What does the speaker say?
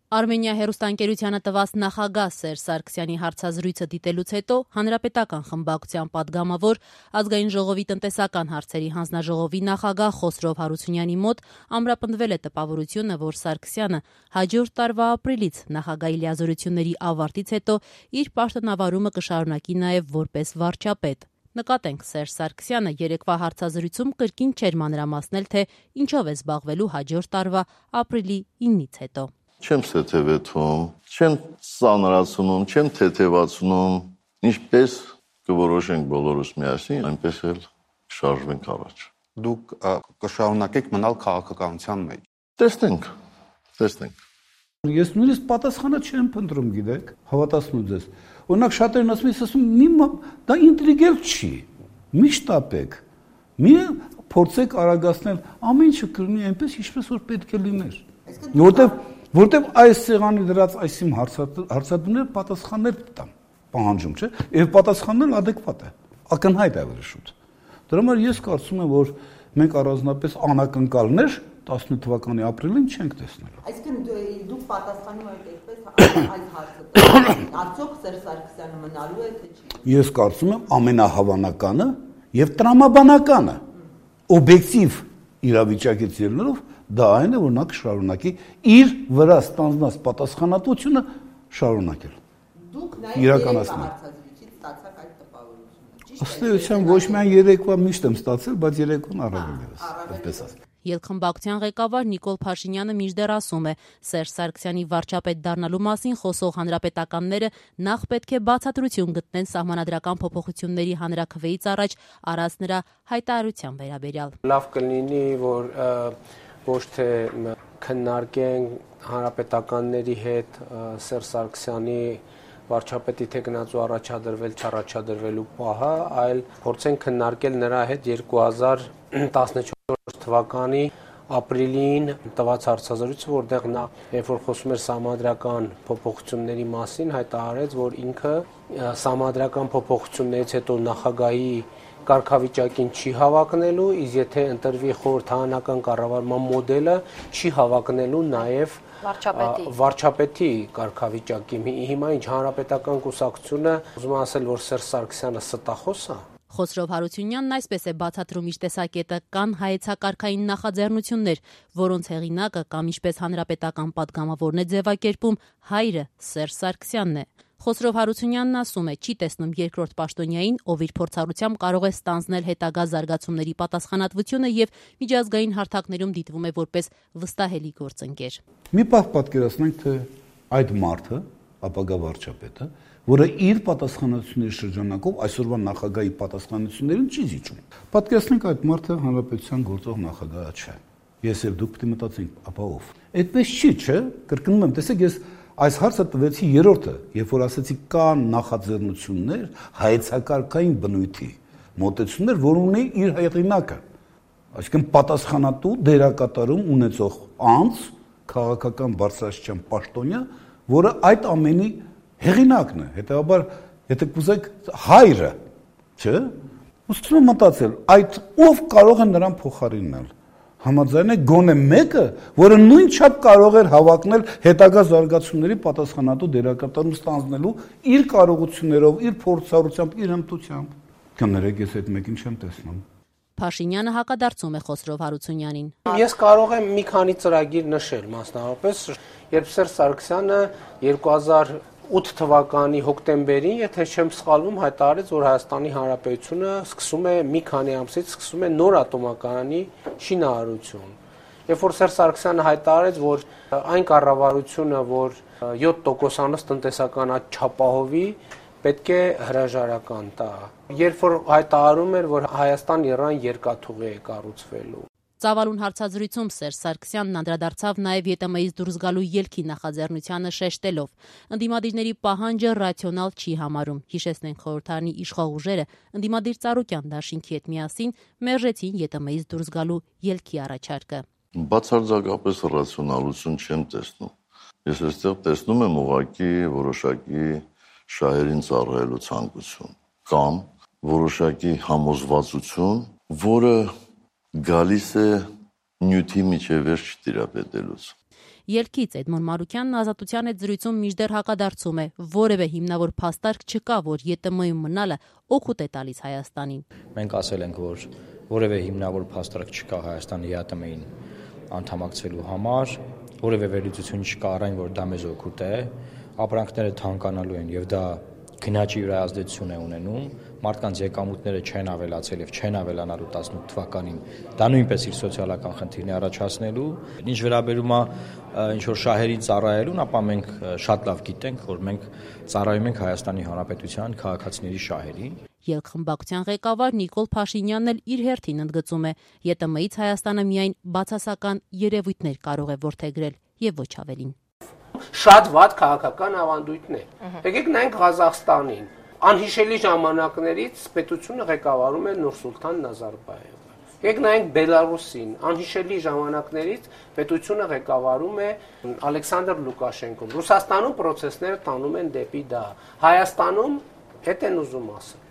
Արմենիա հեռուստաընկերությանը տված նախագահ Սերժ Սարգսյանի հարցազրույցը դիտելուց հետո Հանրապետական խմբակցության պատգամավոր Ազգային ժողովի տնտեսական հարցերի հանձնաժողովի նախագահ Խոսրով Հարությունյանի մոտ ամրապնդվել է տպավորությունը, որ Սարգսյանը հաջորդ տարվա ապրիլից նախագահի լիազորությունների ավարտից հետո իր պաշտոնավարումը կշարունակի նաև որպես վարչապետ։ Նկատենք, Սերժ Սարգսյանը երեկվա հարցազրույցում կրկին չէր մանրամասնել, թե ինչով է զբաղվելու հաջորդ տարվա ապրիլի 9-ից հետո։ Չեմ թեթևեցում, չեմ ծանրացնում, չեմ թեթևացնում, ինչպես կորոշենք բոլորս միասին, այնպես էլ շարժվենք առաջ։ Դուք կշարունակեք մնալ քաղաքականության մեջ։ Տեսնենք։ Ես նույնիսկ պատասխանը չեմ փնտրում, գիտեք, հավատացնում ձեզ։ Օրինակ շատերն ասում են, դա ինտրիգել չի։ Մի շտապեք։ Մի փորձեք արագացնել, ամեն ինչը կլինի այնպես, ինչպես որ պետք է լիներ։ Որտեւ այս սեղանի դրած այսիմ հարցադրումները պատասխաններ տան, պահանջում, չէ՞, եւ պատասխանն ադեկվատ է, ակնհայտ է ավելի շուտ։ Դրա համար ես կարծում եմ, որ մենք առանձնապես անակնկալներ 18 թվականի ապրիլին չենք տեսնելու։ Այսինքն դուք պատասխանում եք այսպես այս հարցը, արդյոք Սերժ Սարգսյանը մնալու է թե չի։ Ես կարծում եմ ամենահավանականը եւ տրամաբանականը օբյեկտիվ իրավիճակից ելնելով դա այն է, որ նա կշարունակի իր վրա ստանձնած պատասխանատվությունը շարունակել։ Դուք նաև հարցազրույցից ստացաք այդ տպավորությունը։ Ըստ էության ոչ միայն երեկվա միշտ եմ ստացել, բայց երեկոն առավել ևս, այդպես ասած։ Ելքխմբակցության ղեկավար Նիկոլ Փաշինյանը մինչդեռ ասում է, Սերժ Սարգսյանի վարչապետ դառնալու մասին խոսող հանրապետականները նախ պետք է բացատրություն գտնեն սահմանադրական փոփոխությունների հանրաքվեից առաջ արած նրա հայտարարության վերաբերյալ։ Լավ կլինի, որ ոչ թե քննարկենք հանրապետականների հետ Սերժ Սարգսյանի վարչապետի թե գնացու առաջադրվել չառաջադրվելու պահը, այլ փորձենք քննարկել նրա հետ 2014 թվականի ապրիլին տված հարցազրույցը, որտեղ նա երբ որ խոսում էր սահմանադրական փոփոխությունների մասին, հայտարարեց, որ ինքը սահմանադրական փոփոխություններից հետո նախագահի կարգավիճակին չի հավակնելու, իսկ եթե ընտրվի խորհրդարանական կառավարման մոդելը, չի հավակնելու նաև վարչապետի կարգավիճակի։ Հիմա ինչ հանրապետական կուսակցությունը ուզում ասել, որ Սերժ Սարգսյանը ստախոս է։ Խոսրով Հարությունյանն այսպես է բացատրում իր տեսակետը, կան հայեցակարգային նախաձեռնություններ, որոնց հեղինակը կամ ինչպես հանրապետական պատգամավորն է ձևակերպում, հայրը Սերժ Սարգսյանն է։ Խոսրով Հարությունյանն ասում է, չի տեսնում երկրորդ պաշտոնյային, ով իր փորձառությամբ կարող է ստանձնել հետագա զարգացումների պատասխանատվությունը եւ միջազգային հարթակներում դիտվում է որպես վստահելի գործընկեր։ Մի պահ պատկերացնենք, թե այդ մարդը, ապագա վարչապետը, որը իր պատասխանատվությունների շրջանակով այսօրվա նախագահի պատասխանատվություններին չի զիջում։ Պատկերացնենք, այդ մարդը հանրապետության գործող նախագահը չէ։ Ես եւ դուք պետք է մտածենք, ապա ով։ Այդպես չի, չէ՞։ Կրկնում եմ, տեսեք, ես այս հարցը տվեցի երրորդը, երբ որ ասացի կան նախաձեռնություններ հայեցակարգային բնույթի մոտեցումներ, որ ունի իր հեղինակը, այսինքն պատասխանատու դերակատարում ունեցող անձ, քաղաքական բարձրաստիճան պաշտոնյա, որը այդ ամենի հեղինակն է, հետեւաբար, եթե կուզեք հայրը, չէ՞, ուզում եմ մտածել, այդ ով կարող է նրան փոխարինել։ Համաձայն է գոնե մեկը, որը նույն չափ կարող էր հավակնել հետագա զարգացումների պատասխանատու դերակատարում ստանձնելու իր կարողություններով, իր փորձառությամբ, իր հմտությամբ։ Կներեք, ես այդ մեկին չեմ տեսնում։ Փաշինյանը հակադարձում է Խոսրով Հարությունյանին։ Ես կարող եմ մի քանի ծրագիր նշել, մասնավորապես, երբ Սերժ Սարգսյանը 2008 թվականի հոկտեմբերին, եթե չեմ սխալվում, հայտարարեց, որ Հայաստանի Հանրապետությունը սկսում է մի քանի ամսից սկսում է նոր ատոմակայանի շինարարություն։ Երբ որ Սերժ Սարգսյանը հայտարարեց, որ այն կառավարությունը, որ 7%-անոց տնտեսական աճ չապահովի, պետք է հրաժարական տա։ Երբ որ հայտարարում էր, որ Հայաստան-Իրան երկաթուղի է կառուցվելու։ Ծավալուն հարցազրույցում Սերժ Սարգսյանն անդրադարձավ նաև ԵՏՄ-ից դուրս գալու ելքի նախաձեռնությանը շեշտելով. ընդդիմադիրների պահանջը ռացիոնալ չի համարում։ Հիշեցնենք, խորհրդարանի իշխող ուժերը ընդդիմադիր Ծառուկյան դաշինքի հետ միասին մերժեցին ԵՏՄ-ից դուրս գալու ելքի առաջարկը։ Բացարձակապես ռացիոնալություն չեմ տեսնում։ Ես այստեղ տեսնում եմ ուղղակի որոշակի շահերին ծառայելու ցանկություն կամ որոշակի համոզվածություն, որը գալիս է նյութի միջևերջ չտիրապետելուց։ Ելքից Էդմոն Մարուկյանն Ազատության հետ զրույցում մինչդեռ հակադարձում է, որևէ հիմնավոր փաստարկ չկա, որ ԵՏՄ-ում մնալը օգուտ է տալիս Հայաստանին։ Մենք ասել ենք, որ որևէ հիմնավոր փաստարկ չկա Հայաստանի ԵԱՏՄ-ին անդամակցելու համար, որևէ վերլուծություն չկա առայն, որ դա մեզ օգուտ է, ապրանքները թանկանալու են եւ դա գնաճի վրա ազդեցություն է ունենում, մարդկանց եկամուտները չեն ավելացել եւ չեն ավելանալու 18 թվականին, դա նույնպես իր սոցիալական խնդիրն է առաջացնելու։ Ինչ վերաբերում է ինչ որ շահերին ծառայելուն, ապա մենք շատ լավ գիտենք, որ մենք ծառայում ենք Հայաստանի Հանրապետության քաղաքացիների շահերին։ Ելքխմբակցության ղեկավար Նիկոլ Փաշինյանն էլ իր հերթին ընդգծում է, ԵՏՄ-ից Հայաստանը միայն բացասական երևույթներ կարող է որդեգրել եւ ոչ ավելին։ Շատ վատ քաղաքական ավանդույթներ։ Եկեք նայենք Ղազախստանին։ Անհիշելի ժամանակներից պետությունը ղեկավարում է Նուրսուլտան Նազարբաևը։ Եկեք նայենք Բելարուսին։ Անհիշելի ժամանակներից պետությունը ղեկավարում է Ալեքսանդր Լուկաշենկոն։ Ռուսաստանում process-ները տանում են դեպի դա։ Հայաստանում հետ են ուզում ասել։